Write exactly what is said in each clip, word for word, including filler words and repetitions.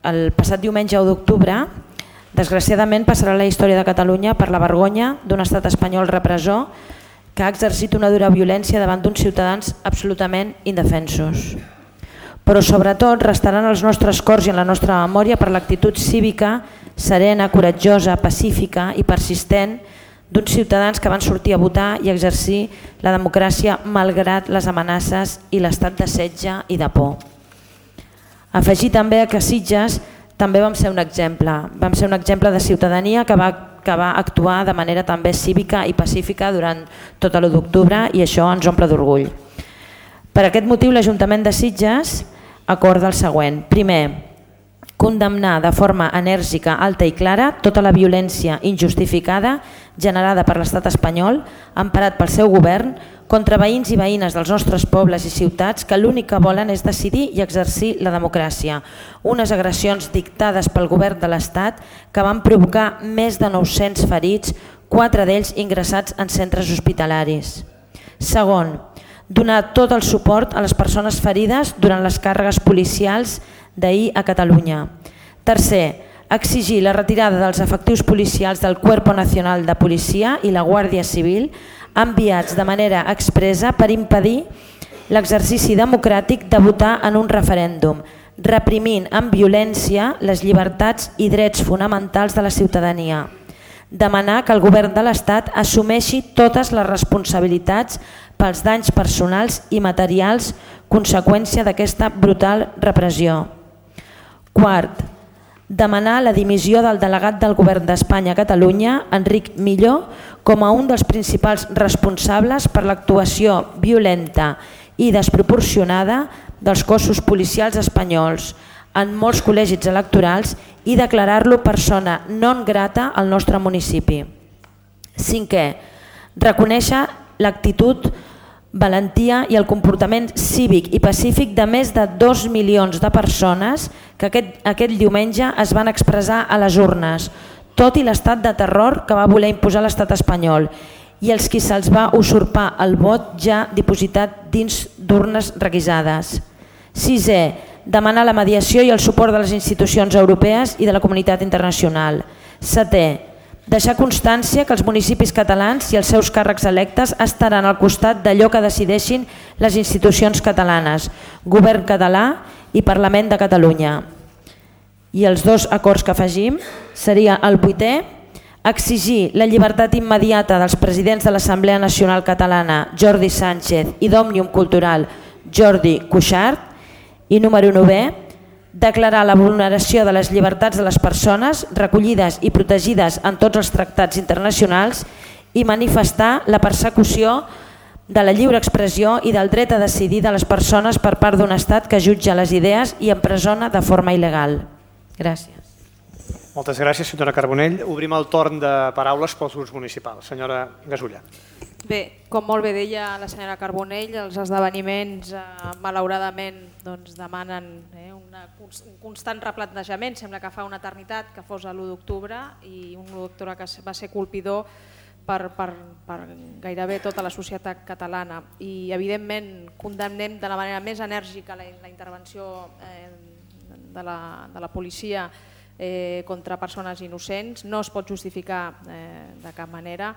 el passat diumenge u d'octubre, desgraciadament passarà la història de Catalunya per la vergonya d'un estat espanyol repressor que ha exercit una dura violència davant d'uns ciutadans absolutament indefensos. Però sobretot restaran als nostres cors i en la nostra memòria per l'actitud cívica, serena, coratjosa, pacífica i persistent d'uns ciutadans que van sortir a votar i exercir la democràcia malgrat les amenaces i l'estat de setge i de por. Afegir també que a Sitges també vam ser un exemple, vam ser un exemple de ciutadania que va, que va actuar de manera també cívica i pacífica durant tot l'u d'octubre i això ens omple d'orgull. Per aquest motiu l'Ajuntament de Sitges acorda el següent. Primer, condemnar de forma enèrgica, alta i clara tota la violència injustificada generada per l'estat espanyol, emparat pel seu govern, contra veïns i veïnes dels nostres pobles i ciutats que l'únic que volen és decidir i exercir la democràcia. Unes agressions dictades pel govern de l'Estat que van provocar més de nou-cents ferits, quatre d'ells ingressats en centres hospitalaris. Segon, donar tot el suport a les persones ferides durant les càrregues policials d'ahir a Catalunya. Tercer, exigir la retirada dels efectius policials del Cuerpo Nacional de Policia i la Guàrdia Civil enviats de manera expressa per impedir l'exercici democràtic de votar en un referèndum, reprimint amb violència les llibertats i drets fonamentals de la ciutadania. Demanar que el govern de l'Estat assumeixi totes les responsabilitats pels danys personals i materials conseqüència d'aquesta brutal repressió. Quart, demanar la dimissió del delegat del govern d'Espanya a Catalunya, Enric Milló, com a un dels principals responsables per l'actuació violenta i desproporcionada dels cossos policials espanyols en molts col·legis electorals i declarar-lo persona non grata al nostre municipi. Cinquè, reconèixer l'actitud, valentia i el comportament cívic i pacífic de més de dos milions de persones que aquest, aquest diumenge es van expressar a les urnes, tot i l'estat de terror que va voler imposar l'estat espanyol i els qui se'ls va usurpar el vot ja dipositat dins d'urnes requisades. Sisè, demanar la mediació i el suport de les institucions europees i de la comunitat internacional. Setè, deixar constància que els municipis catalans i els seus càrrecs electes estaran al costat d'allò que decideixin les institucions catalanes, Govern català i Parlament de Catalunya. I els dos acords que afegim seria el vuitè, exigir la llibertat immediata dels presidents de l'Assemblea Nacional Catalana, Jordi Sánchez, i d'Òmnium Cultural, Jordi Cuixart, i número novè, declarar la vulneració de les llibertats de les persones recollides i protegides en tots els tractats internacionals i manifestar la persecució de la lliure expressió i del dret a decidir de les persones per part d'un estat que jutja les idees i empresona de forma il·legal. Gràcies. Moltes gràcies, senyora Carbonell. Obrim el torn de paraules pels grups municipals. Senyora Gasulla. Bé, com molt bé deia la senyora Carbonell, els esdeveniments eh, malauradament doncs, demanen eh, una, un constant replantejament. Sembla que fa una eternitat que fos l'u d'octubre i un u d'octubre que va ser colpidor per, per, per gairebé tota la societat catalana. I evidentment condemnem de la manera més enèrgica la, la intervenció eh, de, la, de la policia eh, contra persones innocents. No es pot justificar eh, de cap manera.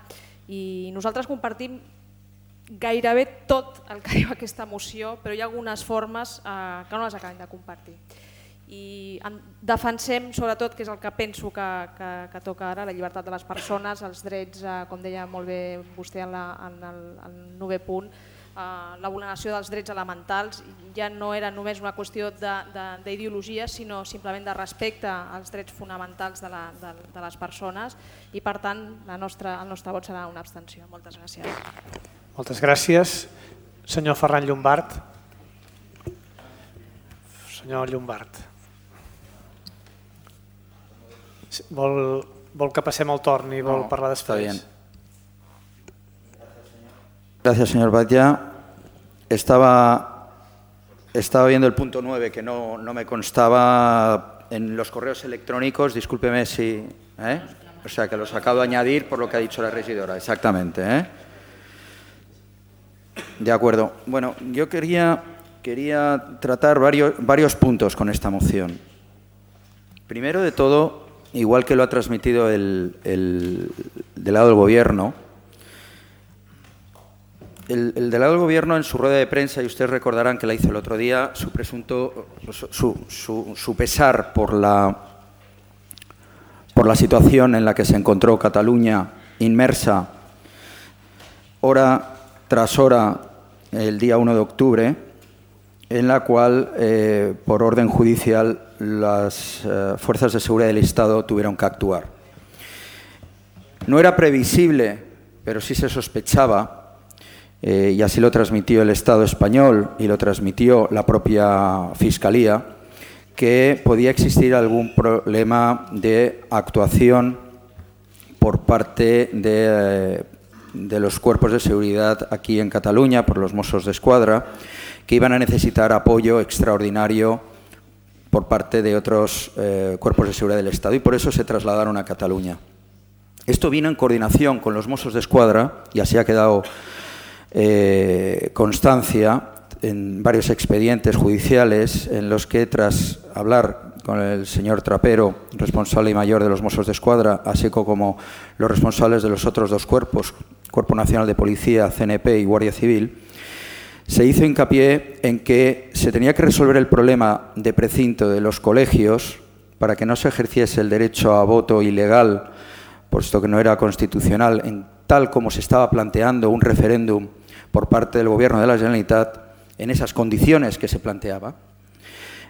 I nosaltres compartim gairebé tot el que diu aquesta moció, però hi ha algunes formes eh, que no les acabem de compartir. I defensem sobretot, que és el que penso que, que, que toca ara, la llibertat de les persones, els drets, eh, com deia molt bé vostè en, la, en el, el novè punt, eh, la vulneració dels drets elementals ja no era només una qüestió d'ideologia, sinó simplement de respecte als drets fonamentals de, la, de, de les persones i per tant la nostra, el nostre vot serà una abstenció. Moltes gràcies. Moltes gràcies. Senyor Ferran Llombart. Senyor Llombart. Vol, vol que passem el torn i vol no, parlar després? Gracias, señor Batlle. Estaba, estaba viendo el punto nueve que no, no me constaba en los correos electrónicos. Discúlpeme si... ¿eh? O sea, que los acabo de añadir por lo que ha dicho la regidora. Exactamente. ¿eh? De acuerdo. Bueno, yo quería, quería tratar varios, varios puntos con esta moción. Primero de todo, igual que lo ha transmitido el, el delegado del Gobierno, el, el delegado del Gobierno en su rueda de prensa, y ustedes recordarán que la hizo el otro día, su presunto, su, su, su pesar por la, por la situación en la que se encontró Cataluña inmersa hora tras hora el día uno de octubre, en la cual, eh, por orden judicial, las eh, fuerzas de seguridad del Estado tuvieron que actuar. No era previsible, pero sí se sospechaba, eh, y así lo transmitió el Estado español y lo transmitió la propia Fiscalía, que podía existir algún problema de actuación por parte de, eh, de los cuerpos de seguridad aquí en Cataluña, por los Mossos d'Esquadra, que iban a necesitar apoyo extraordinario por parte de otros eh, cuerpos de seguridad del Estado, y por eso se trasladaron a Cataluña. Esto vino en coordinación con los Mossos d'Esquadra, y así ha quedado eh, constancia en varios expedientes judiciales en los que, tras hablar con el señor Trapero, responsable y mayor de los Mossos d'Esquadra, así como los responsables de los otros dos cuerpos, Cuerpo Nacional de Policía, C N P y Guardia Civil, se hizo hincapié en que se tenía que resolver el problema de precinto de los colegios para que no se ejerciese el derecho a voto ilegal, puesto que no era constitucional, en tal como se estaba planteando un referéndum por parte del Gobierno de la Generalitat, en esas condiciones que se planteaba.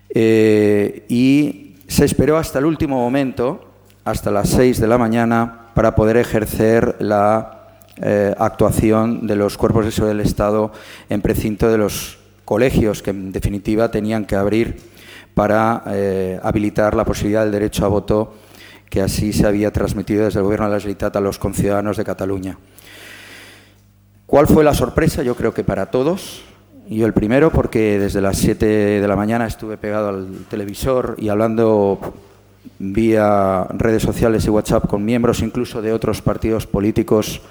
Eh, y se esperó hasta el último momento, hasta las seis de la mañana, para poder ejercer la Eh, actuación de los cuerpos de seguridad del Estado en precinto de los colegios, que en definitiva tenían que abrir para eh, habilitar la posibilidad del derecho a voto, que así se había transmitido desde el Gobierno de la Generalitat a los conciudadanos de Cataluña. ¿Cuál fue la sorpresa? Yo creo que para todos. Yo el primero, porque desde las siete de la mañana estuve pegado al televisor y hablando vía redes sociales y WhatsApp con miembros incluso de otros partidos políticos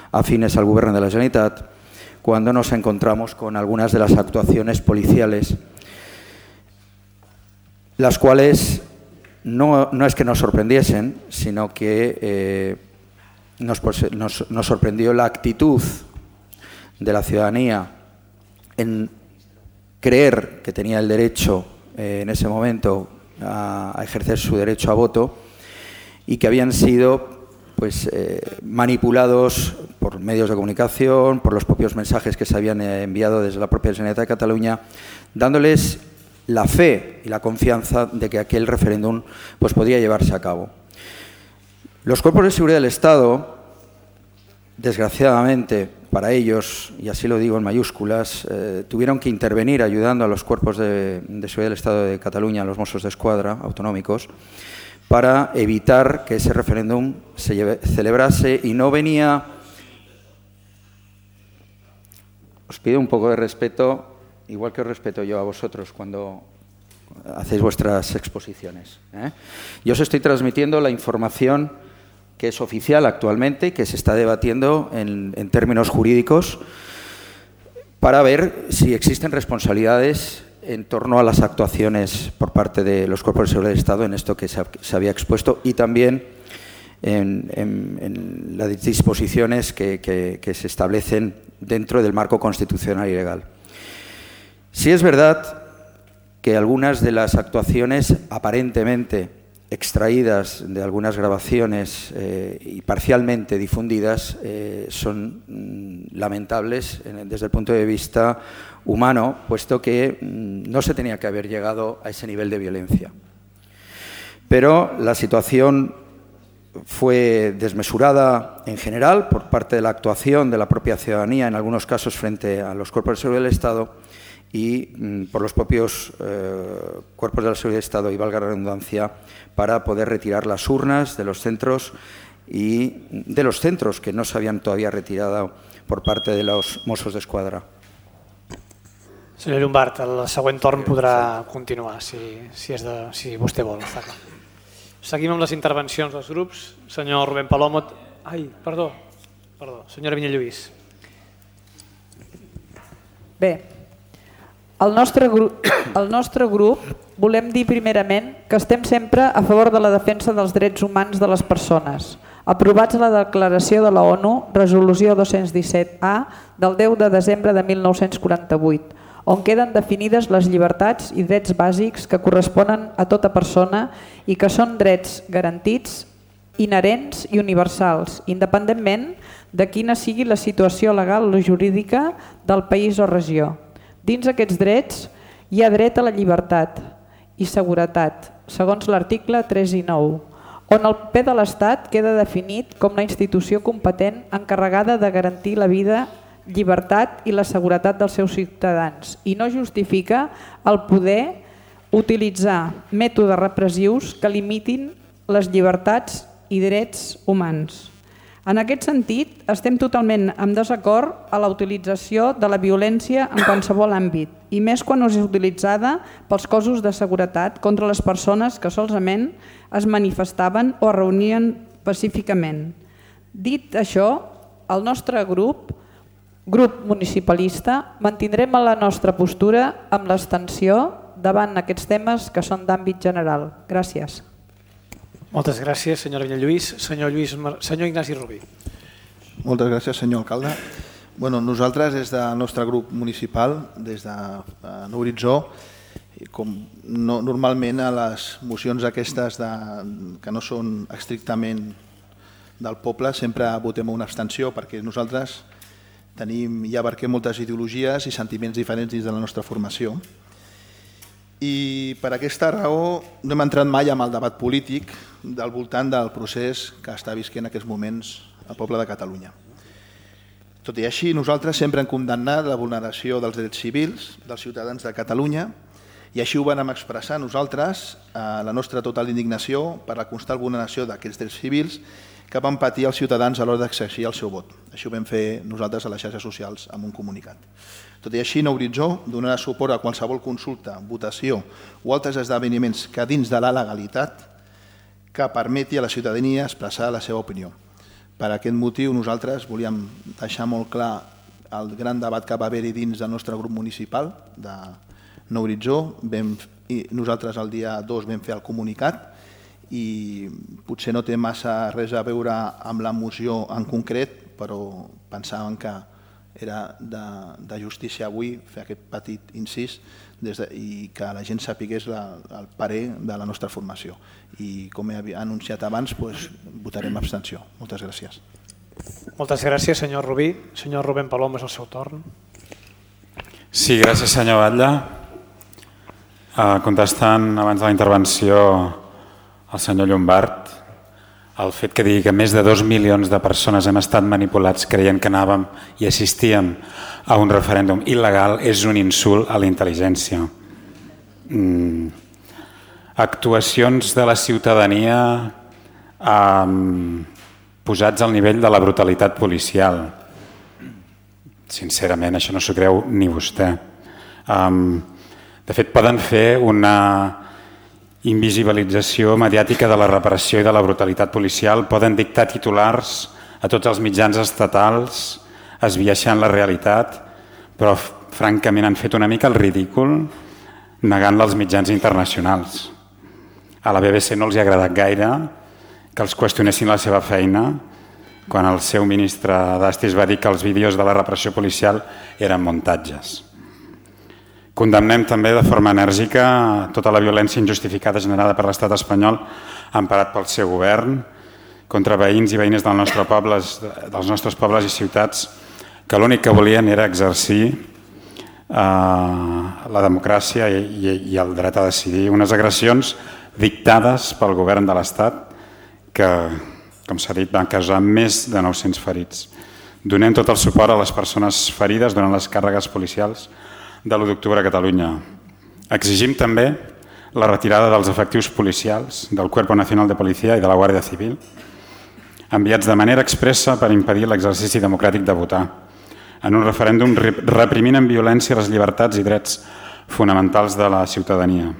afines al Gobierno de la Generalitat, cuando nos encontramos con algunas de las actuaciones policiales, las cuales no, no es que nos sorprendiesen, sino que eh, nos, nos, nos sorprendió la actitud de la ciudadanía en creer que tenía el derecho eh, en ese momento a, a ejercer su derecho a voto, y que habían sido pues eh, manipulados por medios de comunicación, por los propios mensajes que se habían enviado desde la propia Generalitat de Cataluña, dándoles la fe y la confianza de que aquel referéndum pues, podía llevarse a cabo. Los cuerpos de seguridad del Estado, desgraciadamente para ellos, y así lo digo en mayúsculas, eh, tuvieron que intervenir ayudando a los cuerpos de, de seguridad del Estado de Cataluña, a los Mossos d'Esquadra autonómicos, para evitar que ese referéndum se lleve, celebrase, y no venía... Os pido un poco de respeto, igual que os respeto yo a vosotros cuando hacéis vuestras exposiciones, ¿eh? Yo os estoy transmitiendo la información que es oficial actualmente, que se está debatiendo en, en términos jurídicos, para ver si existen responsabilidades en torno a las actuaciones por parte de los cuerpos de seguridad del Estado en esto que se, se había expuesto, y también en, en, en las disposiciones que, que, que se establecen dentro del marco constitucional y legal. Sí es verdad que algunas de las actuaciones aparentemente extraídas de algunas grabaciones eh, y parcialmente difundidas eh, son mm, lamentables eh, desde el punto de vista humano, puesto que mm, no se tenía que haber llegado a ese nivel de violencia. Pero la situación fue desmesurada en general por parte de la actuación de la propia ciudadanía, en algunos casos frente a los cuerpos de seguridad del Estado, y mm, por los propios eh, cuerpos de la seguridad del Estado, y valga la redundancia, para poder retirar las urnas de los centros y de los centros que no se habían todavía retirado por parte de los Mossos d'Esquadra. Senyor Llombart, el següent torn podrà continuar, si, si, és de, si vostè vol. Està clar. Seguim amb les intervencions dels grups. Senyor Rubén Palomo... Ai, perdó, perdó. Senyora Vinyalluís. Bé, el nostre grup, el nostre grup volem dir primerament que estem sempre a favor de la defensa dels drets humans de les persones, aprovats a la declaració de la ONU, resolució dos-cents disset A, del deu de desembre de mil nou-cents quaranta-vuit, on queden definides les llibertats i drets bàsics que corresponen a tota persona i que són drets garantits, inherents i universals, independentment de quina sigui la situació legal o jurídica del país o regió. Dins aquests drets hi ha dret a la llibertat i seguretat, segons l'article tres i nou, on el P de l'Estat queda definit com la institució competent encarregada de garantir la vida, llibertat i la seguretat dels seus ciutadans i no justifica el poder utilitzar mètodes repressius que limitin les llibertats i drets humans. En aquest sentit, estem totalment en desacord a la utilització de la violència en qualsevol àmbit, i més quan és utilitzada pels cossos de seguretat contra les persones que solament es manifestaven o es reunien pacíficament. Dit això, el nostre grup, grup municipalista, mantindrem la nostra postura amb l'abstenció davant aquests temes que són d'àmbit general. Gràcies. Moltes gràcies, senyora Villalluís. Senyor, Lluís, senyor Ignasi Rubí. Moltes gràcies, senyor alcalde. Bueno, nosaltres, des del nostre grup municipal, des de Nou Horitzó, com no, normalment a les mocions aquestes de, que no són estrictament del poble, sempre votem una abstenció perquè nosaltres tenim i abarquem moltes ideologies i sentiments diferents dins de la nostra formació. I per aquesta raó no hem entrat mai en el debat polític del voltant del procés que està visquent en aquests moments el poble de Catalunya. Tot i així, nosaltres sempre hem condemnat la vulneració dels drets civils dels ciutadans de Catalunya i així ho vam expressar nosaltres la nostra total indignació per la constant vulneració d'aquests drets civils que van patir els ciutadans a l'hora d'exercir el seu vot. Això ho vam fer nosaltres a les xarxes socials amb un comunicat. Tot i així, Nou Horitzó donarà suport a qualsevol consulta, votació o altres esdeveniments que dins de la legalitat que permeti a la ciutadania expressar la seva opinió. Per aquest motiu nosaltres volíem deixar molt clar el gran debat que va haver-hi dins del nostre grup municipal de Nou Horitzó. Nosaltres el dia dos vam fer el comunicat i potser no té massa res a veure amb la moció en concret, però pensàvem que era de, de justícia avui fer aquest petit incís des de, i que la gent sapigués la, el parer de la nostra formació. I com he anunciat abans, doncs, votarem abstenció. Moltes gràcies. Moltes gràcies, senyor Rubí. Senyor Rubén Palom, és el seu torn. Sí, gràcies, senyor Batlle. Uh, contestant abans de la intervenció al senyor Llombart, el fet que digui que més de dos milions de persones hem estat manipulats creient que anàvem i assistíem a un referèndum il·legal és un insult a la intel·ligència. Mm. Actuacions de la ciutadania um, posats al nivell de la brutalitat policial. Sincerament, això no s'ho creu ni vostè. Um, de fet, poden fer una invisibilització mediàtica de la repressió i de la brutalitat policial, poden dictar titulars a tots els mitjans estatals esbiaixant la realitat, però francament han fet una mica el ridícul negant-la als mitjans internacionals. A la B B C no els ha agradat gaire que els qüestionessin la seva feina quan el seu ministre d'Estis va dir que els vídeos de la repressió policial eren muntatges. Condemnem també de forma enèrgica tota la violència injustificada generada per l'estat espanyol emparat pel seu govern contra veïns i veïnes del nostre pobles, dels nostres pobles i ciutats que l'únic que volien era exercir eh, la democràcia i, i, i el dret a decidir. Unes agressions dictades pel govern de l'Estat que, com s'ha dit, van causar més de nou-cents ferits. Donem tot el suport a les persones ferides durant les càrregues policials de l'u d'octubre a Catalunya. Exigim també la retirada dels efectius policials del Cuerpo Nacional de Policía i de la Guàrdia Civil, enviats de manera expressa per impedir l'exercici democràtic de votar, en un referèndum reprimint amb violència les llibertats i drets fonamentals de la ciutadania.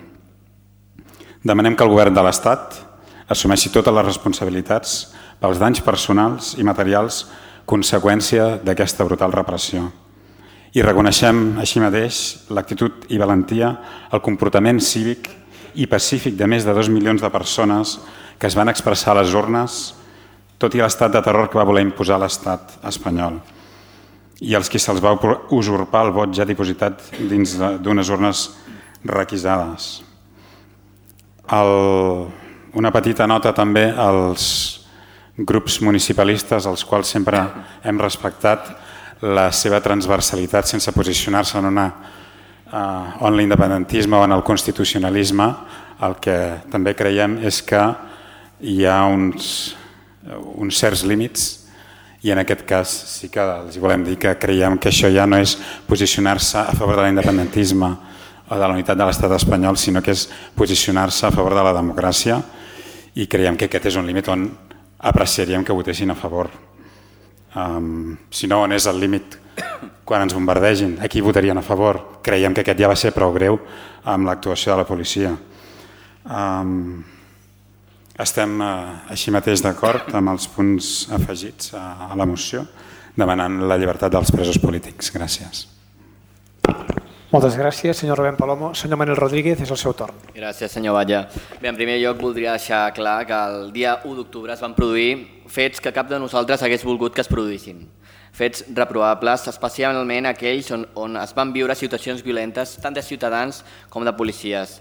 Demanem que el govern de l'Estat assumeixi totes les responsabilitats pels danys personals i materials conseqüència d'aquesta brutal repressió. I reconeixem així mateix l'actitud i valentia, el comportament cívic i pacífic de més de dos milions de persones que es van expressar a les urnes, tot i l'estat de terror que va voler imposar l'estat espanyol i els qui se'ls va usurpar el vot ja dipositat dins d'unes urnes requisades. El, una petita nota també als grups municipalistes, als quals sempre hem respectat la seva transversalitat sense posicionar-se en una uh, en l'independentisme o en el constitucionalisme. El que també creiem és que hi ha uns, uns certs límits i en aquest cas sí que els volem dir que creiem que això ja no és posicionar-se a favor de l'independentisme o de la unitat de l'estat espanyol, sinó que és posicionar-se a favor de la democràcia i creiem que aquest és un límit on apreciaríem que votessin a favor. Um, si no, on és el límit quan ens bombardegin? Aquí votarien a favor. Creiem que aquest ja va ser prou greu amb l'actuació de la policia. Um, estem uh, així mateix d'acord amb els punts afegits a, a la moció, demanant la llibertat dels presos polítics. Gràcies. Moltes gràcies, senyor Rubén Palomo. Senyor Manuel Rodríguez, és el seu torn. Gràcies, senyor Batlle. Bé, en primer lloc voldria deixar clar que el dia u d'octubre es van produir fets que cap de nosaltres hagués volgut que es produïssin. Fets reprovables, especialment aquells on, on es van viure situacions violentes tant de ciutadans com de policies.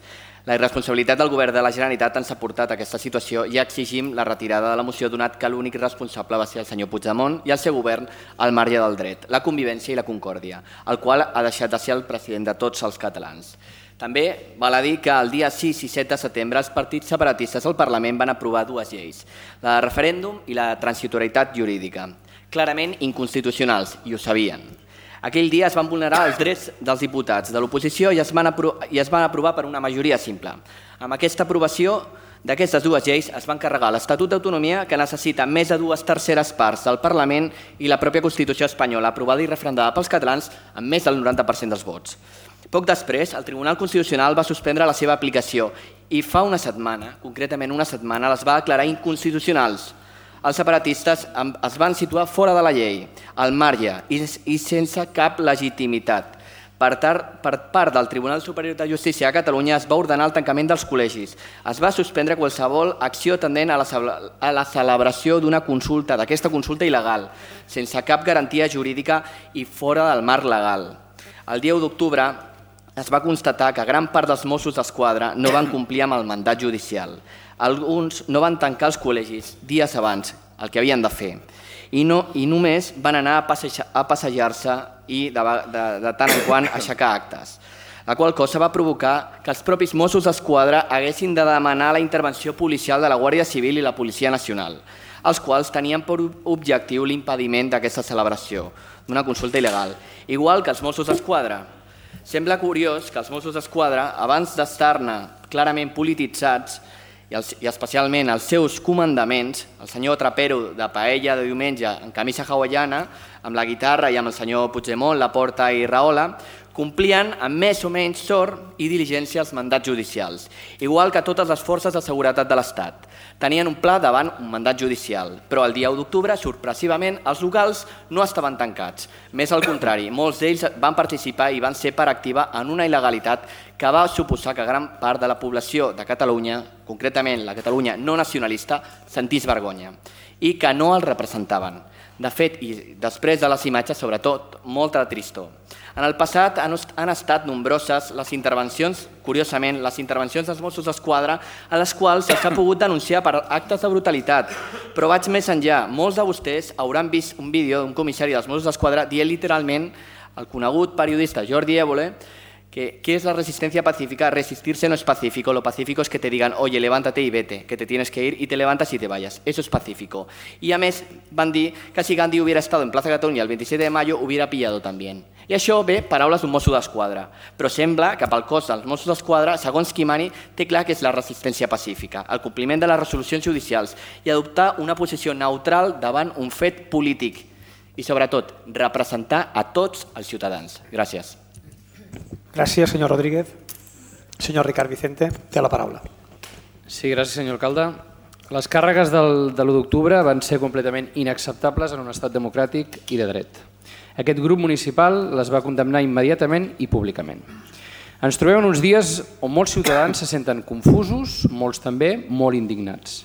La irresponsabilitat del govern de la Generalitat ens ha portat a aquesta situació i exigim la retirada de la moció donat que l'únic responsable va ser el senyor Puigdemont i el seu govern al marge del dret, la convivència i la concòrdia, el qual ha deixat de ser el president de tots els catalans. També val a dir que el dia sis i set de setembre els partits separatistes al Parlament van aprovar dues lleis, la de referèndum i la de transitorietat jurídica, clarament inconstitucionals, i ho sabien. Aquell dia es van vulnerar els drets dels diputats de l'oposició i es van i es van aprovar per una majoria simple. Amb aquesta aprovació d'aquestes dues lleis es van carregar l'Estatut d'Autonomia, que necessita més de dues terceres parts del Parlament, i la pròpia Constitució espanyola, aprovada i referendada pels catalans amb més del noranta per cent dels vots. Poc després, el Tribunal Constitucional va suspendre la seva aplicació i fa una setmana, concretament una setmana, les va declarar inconstitucionals. Els separatistes es van situar fora de la llei, al marge i sense cap legitimitat. Per part del Tribunal Superior de Justícia a Catalunya es va ordenar el tancament dels col·legis. Es va suspendre qualsevol acció tendent a la celebració d'una consulta, d'aquesta consulta il·legal, sense cap garantia jurídica i fora del marc legal. El dia u d'octubre es va constatar que gran part dels Mossos d'Esquadra no van complir amb el mandat judicial. Alguns no van tancar els col·legis dies abans, el que havien de fer, i, no, i només van anar a, passejar, a passejar-se i de, de, de tant en quant aixecar actes, la qual cosa va provocar que els propis Mossos d'Esquadra haguessin de demanar la intervenció policial de la Guàrdia Civil i la Policia Nacional, els quals tenien per objectiu l'impediment d'aquesta celebració, d'una consulta il·legal, igual que els Mossos d'Esquadra. Sembla curiós que els Mossos d'Esquadra, abans d'estar-ne clarament polititzats, i especialment els seus comandaments, el senyor Trapero de Paella de diumenge en camisa hawaiana, amb la guitarra i amb el senyor Puigdemont, Laporta i Rahola, complien amb més o menys sort i diligència els mandats judicials, igual que totes les forces de seguretat de l'Estat. Tenien un pla davant un mandat judicial, però el dia u d'octubre, sorpresivament, els locals no estaven tancats. Més al contrari, molts d'ells van participar i van ser part activa en una il·legalitat que va suposar que gran part de la població de Catalunya, concretament la Catalunya no nacionalista, sentís vergonya i que no els representaven. De fet, i després de les imatges, sobretot, molta tristor. En el passat han estat nombroses les intervencions, curiosament, les intervencions dels Mossos d'Esquadra a les quals s'ha pogut denunciar per actes de brutalitat. Però vaig més enllà. Molts de vostès hauran vist un vídeo d'un comissari dels Mossos d'Esquadra dient literalment al conegut periodista Jordi Évole que ¿qué es la resistencia pacífica? Resistirse no es pacífico, lo pacífico es que te digan, oye, levántate y vete, que te tienes que ir y te levantas y te vayas. Eso es pacífico. Y a més van dir que si Gandhi hubiera estado en Plaza Catalunya el veintisiete de mayo hubiera pillado también. I això ve paraules d'un Mosso d'Esquadra, però sembla que pel cos dels Mossos d'Esquadra, segons qui mani, té clar que és la resistència pacífica, el compliment de les resolucions judicials i adoptar una posició neutral davant un fet polític i, sobretot, representar a tots els ciutadans. Gràcies. Gràcies, senyor Rodríguez. Senyor Ricard Vicente, té la paraula. Sí, gràcies, senyor alcalde. Les càrregues del, de l'u d'octubre van ser completament inacceptables en un estat democràtic i de dret. Aquest grup municipal les va condemnar immediatament i públicament. Ens trobem en uns dies on molts ciutadans se senten confusos, molts també molt indignats.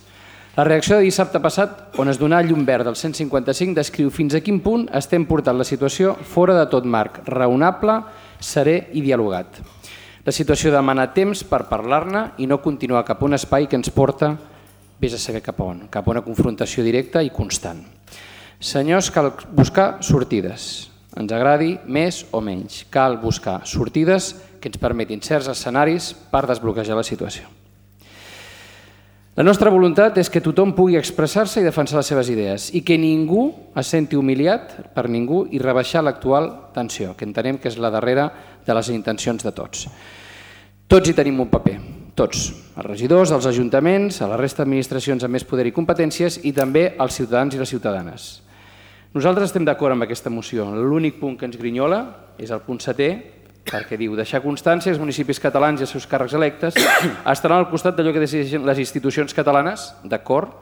La reacció de dissabte passat, on es donà llum verd del cent cinquanta-cinc, descriu fins a quin punt estem portant la situació fora de tot marc raonable, serè i dialogat. La situació demana temps per parlar-ne i no continuar cap a un espai que ens porta, vés a saber cap a on, cap a una confrontació directa i constant. Senyors, cal buscar sortides. Ens agradi més o menys. Cal buscar sortides que ens permetin certs escenaris per desbloquejar la situació. La nostra voluntat és que tothom pugui expressar-se i defensar les seves idees i que ningú es senti humiliat per ningú i rebaixar l'actual tensió, que entenem que és la darrera de les intencions de tots. Tots hi tenim un paper, tots, els regidors, els ajuntaments, a la resta d'administracions amb més poder i competències i també els ciutadans i les ciutadanes. Nosaltres estem d'acord amb aquesta moció. L'únic punt que ens grinyola és el punt setè, perquè diu deixar constància que els municipis catalans i els seus càrrecs electes estaran al costat d'allò que decideixen les institucions catalanes, d'acord,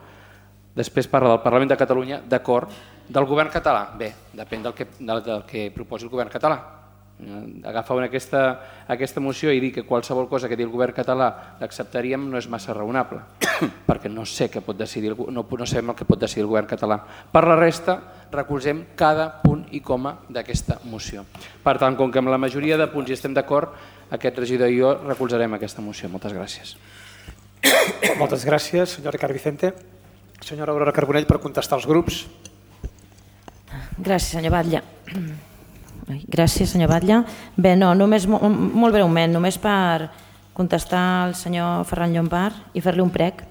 després parla del Parlament de Catalunya, d'acord, del govern català, bé, depèn del que, del, del que proposi el govern català. Agafar aquesta, aquesta moció i dir que qualsevol cosa que digui el govern català l'acceptaríem no és massa raonable, perquè no sé què pot decidir, no, no sabem el que pot decidir el govern català. Per la resta, recolzem cada punt i coma d'aquesta moció. Per tant, com que amb la majoria de punts hi estem d'acord, aquest regidor i jo recolzarem aquesta moció. Moltes gràcies. Moltes gràcies, senyor Ricard Vicente. Senyora Aurora Carbonell, per contestar als grups. Gràcies, senyor Batlle. Gràcies, senyor Batlle. Bé, no, només, molt breument, només per contestar al senyor Ferran Llombart i fer-li un prec.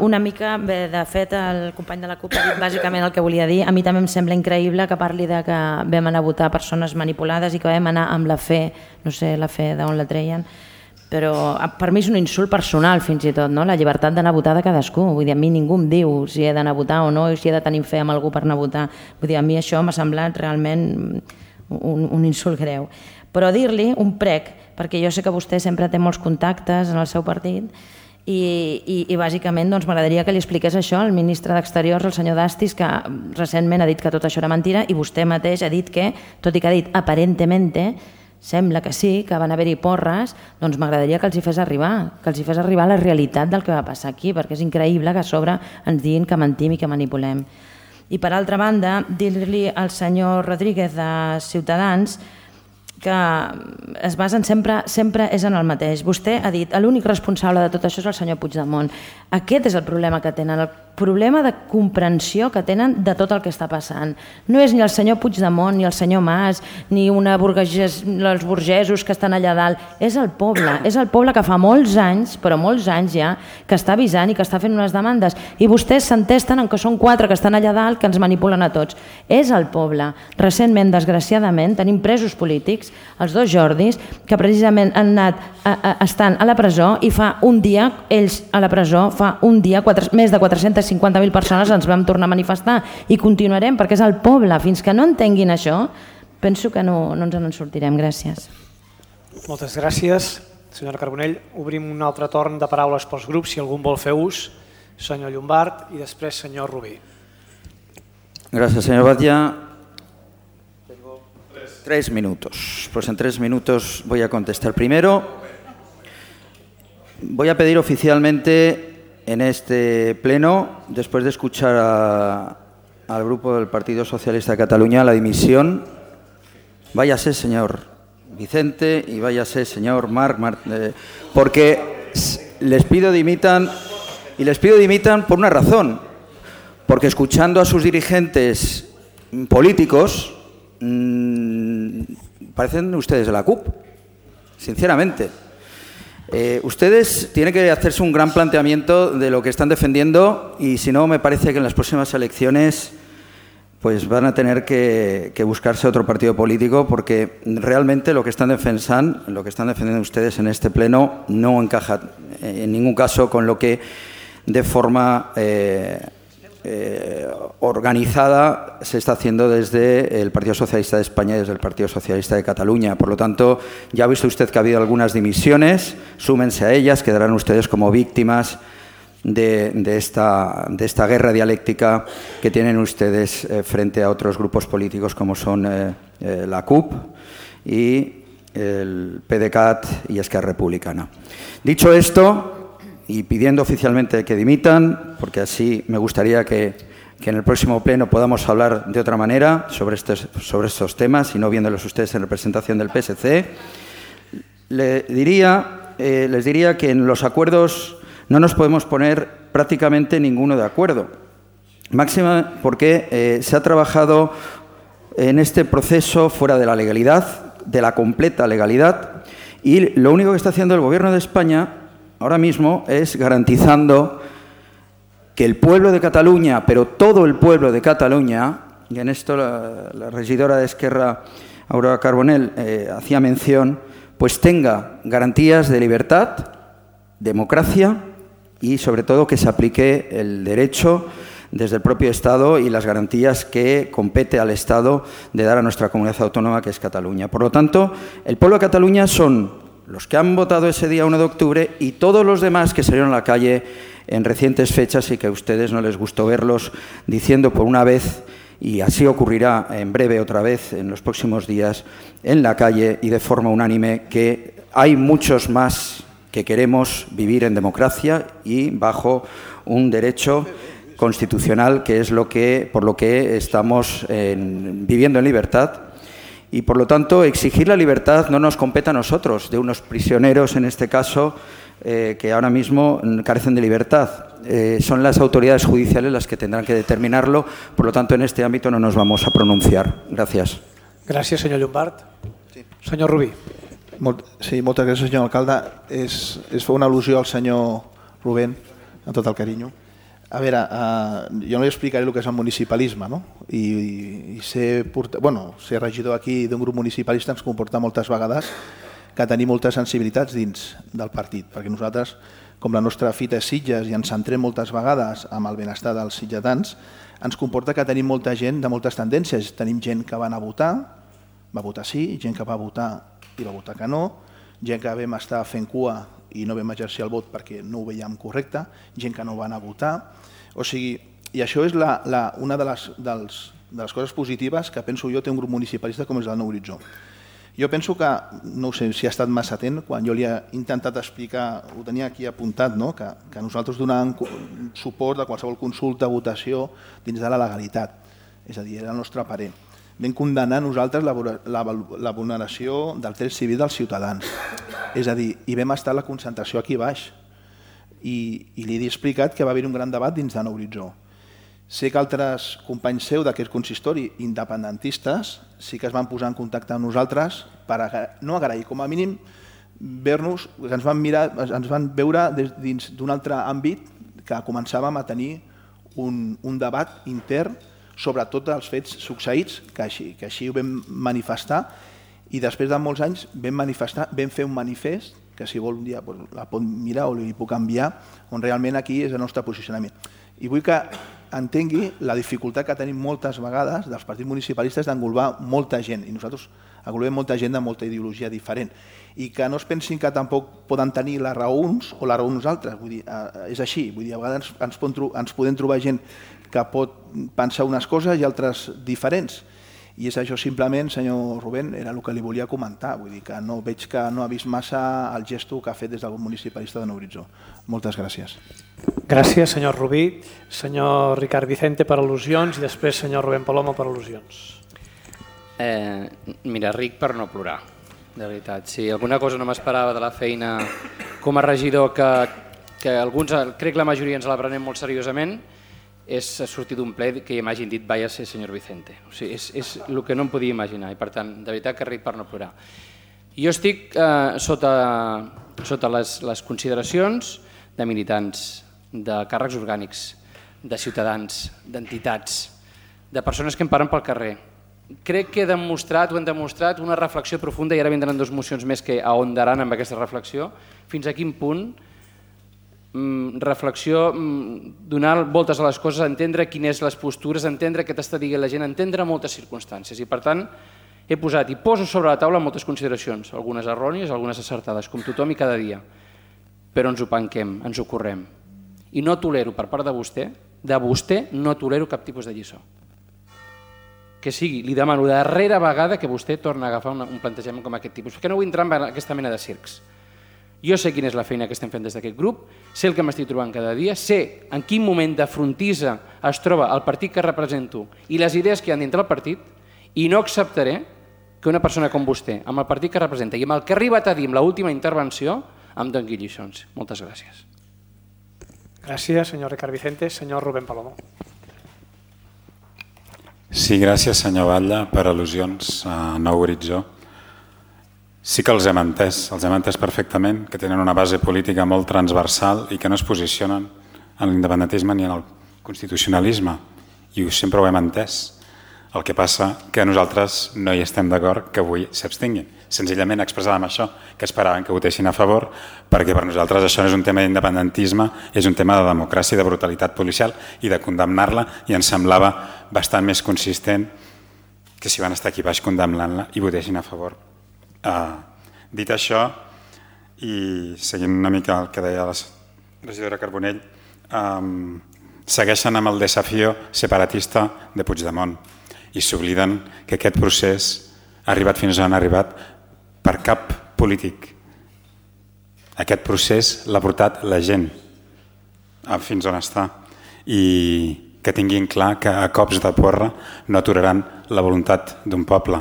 Una mica, bé, de fet, el company de la CUP ha dit bàsicament el que volia dir. A mi també em sembla increïble que parli de que vam anar a votar persones manipulades i que vam anar amb la fe, no sé la fe d'on la treien, però per mi és un insult personal fins i tot, no? La llibertat d'anar a votar de cadascú. Vull dir, a mi ningú em diu si he d'anar a votar o no, i si he de tenir fe amb algú per anar a votar. Vull dir, a mi això m'ha semblat realment un, un insult greu. Però dir-li un prec, perquè jo sé que vostè sempre té molts contactes en el seu partit, i, i, i bàsicament doncs, m'agradaria que li expliqués això al ministre d'Exteriors, el senyor Dastis, que recentment ha dit que tot això era mentira, i vostè mateix ha dit que, tot i que ha dit aparentemente, sembla que sí, que van haver-hi porres, doncs m'agradaria que els hi fes arribar, que els hi fes arribar la realitat del que va passar aquí, perquè és increïble que a sobre ens diguin que mentim i que manipulem. I per altra banda, dir-li al senyor Rodríguez de Ciutadans que es basen sempre, sempre és en el mateix. Vostè ha dit que l'únic responsable de tot això és el senyor Puigdemont. Aquest és el problema que tenen, el problema de comprensió que tenen de tot el que està passant. No és ni el senyor Puigdemont, ni el senyor Mas, ni una burgues, els burgesos que estan allà dalt. És el poble, és el poble que fa molts anys, però molts anys ja, que està avisant i que està fent unes demandes. I vostès s'entesten en que són quatre que estan allà dalt que ens manipulen a tots. És el poble. Recentment, desgraciadament, tenim presos polítics, els dos Jordis, que precisament han anat a, a, estan a la presó i fa un dia, ells a la presó, fa un dia, quatre, més de quatre-centes cinquanta mil persones ens vam tornar a manifestar i continuarem perquè és el poble. Fins que no entenguin això, penso que no, no ens en sortirem. Gràcies. Moltes gràcies, senyora Carbonell. Obrim un altre torn de paraules pels grups, si algú vol fer ús. Senyor Llombart i després senyor Rubí. Gracias, señor Batlle. Tres minutos. Pues en tres minutos voy a contestar. Primero, voy a pedir oficialmente en este pleno, después de escuchar a, al grupo del Partido Socialista de Cataluña, la dimisión. Váyase, señor Vicente, y váyase, señor Marc, Mar, eh, porque les pido dimitan, y les pido dimitan por una razón, porque escuchando a sus dirigentes políticos, parecen ustedes de la CUP, sinceramente. Eh, ustedes tienen que hacerse un gran planteamiento de lo que están defendiendo y si no, me parece que en las próximas elecciones pues van a tener que, que buscarse otro partido político porque realmente lo que están defensando, lo que están defendiendo ustedes en este pleno no encaja en ningún caso con lo que de forma eh, Eh, organizada se está haciendo desde el Partido Socialista de España y desde el Partido Socialista de Cataluña. Por lo tanto, ya ha visto usted que ha habido algunas dimisiones, súmense a ellas, quedarán ustedes como víctimas de, de, esta, de esta guerra dialéctica que tienen ustedes eh, frente a otros grupos políticos como son eh, eh, la CUP y el PDeCAT y Esquerra Republicana. Dicho esto, y pidiendo oficialmente que dimitan, porque así me gustaría que, que en el próximo pleno podamos hablar de otra manera sobre estos, sobre estos temas y no viéndolos ustedes en representación del P S C, le diría, eh, les diría que en los acuerdos no nos podemos poner prácticamente ninguno de acuerdo. Máxima porque eh, se ha trabajado en este proceso fuera de la legalidad, de la completa legalidad, y lo único que está haciendo el Gobierno de España ahora mismo es garantizando que el pueblo de Cataluña, pero todo el pueblo de Cataluña, y en esto la, la regidora de Esquerra, Aurora Carbonell, eh, hacía mención, pues tenga garantías de libertad, democracia y sobre todo que se aplique el derecho desde el propio Estado y las garantías que compete al Estado de dar a nuestra comunidad autónoma, que es Cataluña. Por lo tanto, el pueblo de Cataluña son los que han votado ese día uno de octubre y todos los demás que salieron a la calle en recientes fechas y que a ustedes no les gustó verlos diciendo por una vez, y así ocurrirá en breve otra vez en los próximos días, en la calle y de forma unánime, que hay muchos más que queremos vivir en democracia y bajo un derecho constitucional, que es lo que, por lo que estamos en, viviendo en libertad, y por lo tanto exigir la libertad no nos compete a nosotros, de unos prisioneros en este caso, eh, que ahora mismo carecen de libertad. Eh, son las autoridades judiciales las que tendrán que determinarlo, por lo tanto en este ámbito no nos vamos a pronunciar. Gràcies. Gràcies, senyor Llombart. Sí. Senyor Rubí. Molt, sí, moltes gràcies, senyor alcalde. És, és fer una al·lusió al senyor Rubén, amb tot el carinyo. A veure, eh, jo no li explicaré el que és el municipalisme, no? I, i ser, porta, bueno, ser regidor aquí d'un grup municipalista ens comporta moltes vegades que tenim moltes sensibilitats dins del partit, perquè nosaltres, com la nostra fita és Sitges i ens centrem moltes vegades amb el benestar dels sitgetans, ens comporta que tenim molta gent de moltes tendències. Tenim gent que va anar a votar, va votar sí, gent que va votar i va votar que no, gent que vam estar fent cua i no vam exercir el vot perquè no ho veiem correcte, gent que no va anar a votar. O sigui, i això és la, la, una de les, dels, de les coses positives que penso jo té un grup municipalista com és el Nou Horitzó. Jo penso que, no sé si ha estat massa atent, quan jo li he intentat explicar, ho tenia aquí apuntat, no? que, que nosaltres donàvem suport a qualsevol consulta, votació, dins de la legalitat. És a dir, era el nostre parer. Vam condemnar nosaltres la, la, la vulneració del dret civil dels ciutadans. És a dir, i vam estar a la concentració aquí baix. I, i li he explicat que va haver un gran debat dins de Nou Horitzó. Sé que altres companys seus d'aquest consistori independentistes sí que es van posar en contacte amb nosaltres per no agrair, com a mínim, ver-nos, que ens van, mirar, ens van veure dins d'un altre àmbit que començàvem a tenir un, un debat intern sobre tots els fets succeïts, que així, que així ho vam manifestar, i després de molts anys vam manifestar, vam fer un manifest que si vol un dia la pot mirar o li puc enviar, on realment aquí és el nostre posicionament. I vull que entengui la dificultat que tenim moltes vegades dels partits municipalistes d'englobar molta gent, i nosaltres englobem molta gent de molta ideologia diferent, i que no es pensin que tampoc poden tenir la raó uns o la raó nosaltres, vull dir, és així, vull dir, a vegades ens, ens podem trobar gent que pot pensar unes coses i altres diferents, i és això simplement, senyor Rubén, era el que li volia comentar, vull dir que no veig que no ha vist massa el gesto que ha fet des del grup municipalista de Nou Horitzó. Moltes gràcies. Gràcies, senyor Rubí. Senyor Ricard Vicente per al·lusions i després senyor Rubén Palomo per al·lusions. Eh, mira, ric per no plorar, de veritat. Si alguna cosa no m'esperava de la feina com a regidor, que, que alguns, crec que la majoria ens la prenem molt seriosament, és sortir d'un ple que m'hagin dit vaya ser senyor Vicente. O sigui, és, és el que no em podia imaginar i per tant, de veritat que ric per no plorar. Jo estic eh, sota, sota les, les consideracions de militants, de càrrecs orgànics, de ciutadans, d'entitats, de persones que em paren pel carrer. Crec que he demostrat, ho hem demostrat, una reflexió profunda, i ara vindran dues mocions més que ahondaran amb aquesta reflexió, fins a quin punt reflexió, donar voltes a les coses, entendre quines les postures, entendre què t'està dient la gent, entendre moltes circumstàncies. I per tant he posat i poso sobre la taula moltes consideracions, algunes errònies, algunes acertades, com tothom i cada dia, però ens ho penquem, ens ho correm. I no tolero per part de vostè, de vostè no tolero cap tipus de lliçó. que sigui, li demano la darrera vegada que vostè torna a agafar un plantejament com aquest tipus, perquè no vull entrar en aquesta mena de circs. Jo sé quina és la feina que estem fent des d'aquest grup, sé el que m'estic trobant cada dia, sé en quin moment de frontissa es troba el partit que represento i les idees que hi ha dintre del partit, i no acceptaré que una persona com vostè, amb el partit que representa i amb el que ha arribat a dir en l'última intervenció, em doni lliçons. Moltes gràcies. Gràcies, senyor Ricard Vicente. Senyor Rubén Palomo. Sí, gràcies, senyor Batlle, per al·lusions a Nou Horitzó. Sí que els hem entès, els hem entès perfectament, que tenen una base política molt transversal i que no es posicionen en l'independentisme ni en el constitucionalisme. I sempre ho hem entès. El que passa que nosaltres no hi estem d'acord que avui s'abstinguin. Senzillament expressàvem això, que esperaven que votessin a favor, perquè per nosaltres això no és un tema d'independentisme, és un tema de democràcia i de brutalitat policial i de condemnar-la, i ens semblava bastant més consistent que si van estar aquí baix condemnant-la i votessin a favor. Uh, dit això, i seguint una mica el que deia la regidora Carbonell, um, segueixen amb el desafió separatista de Puigdemont i s'obliden que aquest procés ha arribat fins on ha arribat per cap polític. Aquest procés l'ha portat la gent fins on està, i que tinguin clar que a cops de porra no aturaran la voluntat d'un poble.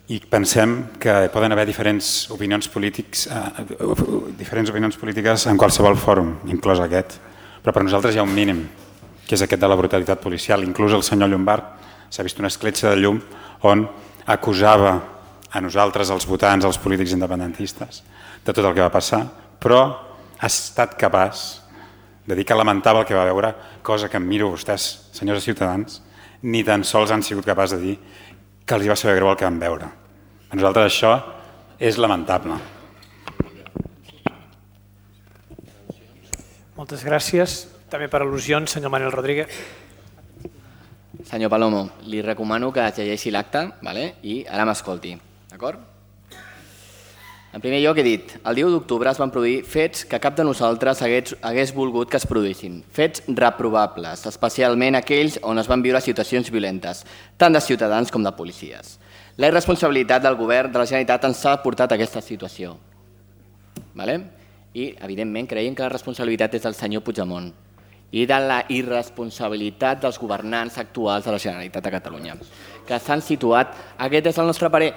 I pensem que poden haver diferents opinions polítics, eh, diferents opinions polítiques en qualsevol fòrum, inclòs aquest, però per nosaltres hi ha un mínim, que és aquest de la brutalitat policial. Inclús el senyor Llombart s'ha vist una escletxa de llum on acusava a nosaltres, els votants, els polítics independentistes, de tot el que va passar, però ha estat capaç de dir que lamentava el que va veure, cosa que em miro vostès, senyors de Ciutadans, ni tan sols han sigut capaços de dir que els va saber greu el que van veure. A nosaltres això és lamentable. Moltes gràcies. També per al·lusions, senyor Manuel Rodríguez. Senyor Palomo, li recomano que llegeixi l'acte, vale? I ara m'escolti, d'acord? En primer lloc he dit, el dia u d'octubre es van produir fets que cap de nosaltres hagués, hagués volgut que es produïssin. Fets reprovables, especialment aquells on es van viure situacions violentes, tant de ciutadans com de policies. La irresponsabilitat del govern de la Generalitat ens ha portat a aquesta situació. Vale? I, evidentment, creiem que la responsabilitat és del senyor Puigdemont i de la irresponsabilitat dels governants actuals de la Generalitat de Catalunya, que s'han situat, aquest és el nostre parer,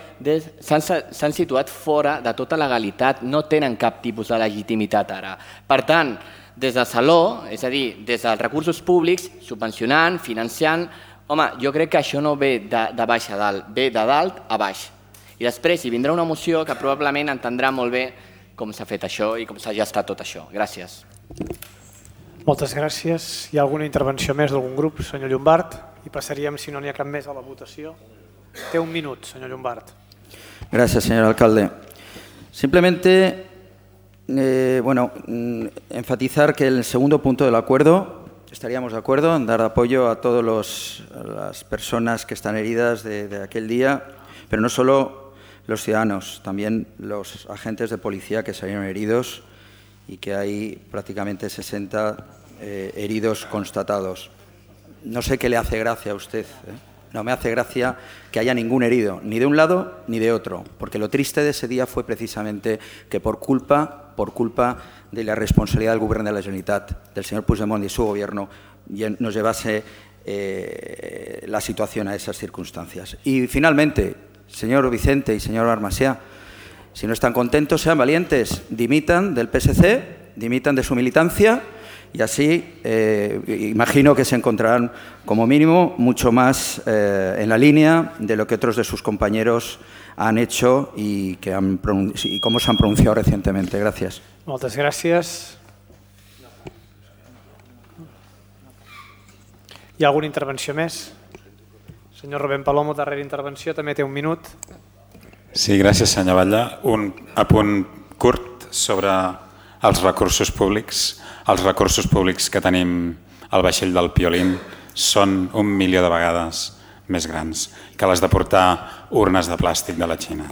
s'han situat fora de tota legalitat, no tenen cap tipus de legitimitat ara. Per tant, des de Saló, és a dir, des dels recursos públics, subvencionant, financiant, home, jo crec que això no ve de, de baix a dalt, ve de dalt a baix. I després hi vindrà una moció que probablement entendrà molt bé com s'ha fet això i com s'ha gestat tot això. Gràcies. Moltes gràcies. Hi ha alguna intervenció més d'algun grup, senyor Llombart? I passaríem, si no n'hi ha cap més, a la votació. Té un minut, senyor Llombart. Gracias, señor alcalde. Simplemente, eh, bueno, enfatizar que el segundo punto del acuerdo, estaríamos de acuerdo en dar apoyo a todas las personas que están heridas de, de aquel día, pero no solo los ciudadanos, también los agentes de policía que salieron heridos y que hay prácticamente sesenta eh, heridos constatados. No sé qué le hace gracia a usted, ¿eh? No me hace gracia que haya ningún herido, ni de un lado ni de otro, porque lo triste de ese día fue precisamente que por culpa, por culpa de la responsabilidad del Gobierno de la Generalitat, del señor Puigdemont y su gobierno, nos llevase eh, la situación a esas circunstancias. Y finalmente, señor Vicente y señor Armasía, si no están contentos, sean valientes, dimitan del P S C, dimitan de su militancia y así eh, imagino que se encontrarán como mínimo mucho más eh, en la línea de lo que otros de sus compañeros han hecho y, que han y cómo se han pronunciado recientemente. Gracias. Moltes gràcies. Hi ha alguna intervenció més? Senyor Rubén Palomo, darrera intervenció, també té un minut. Sí, gràcies, senyor Batlle. Un apunt curt sobre els recursos públics. Els recursos públics que tenim al vaixell del Piolín són un milió de vegades més grans que les de portar urnes de plàstic de la Xina.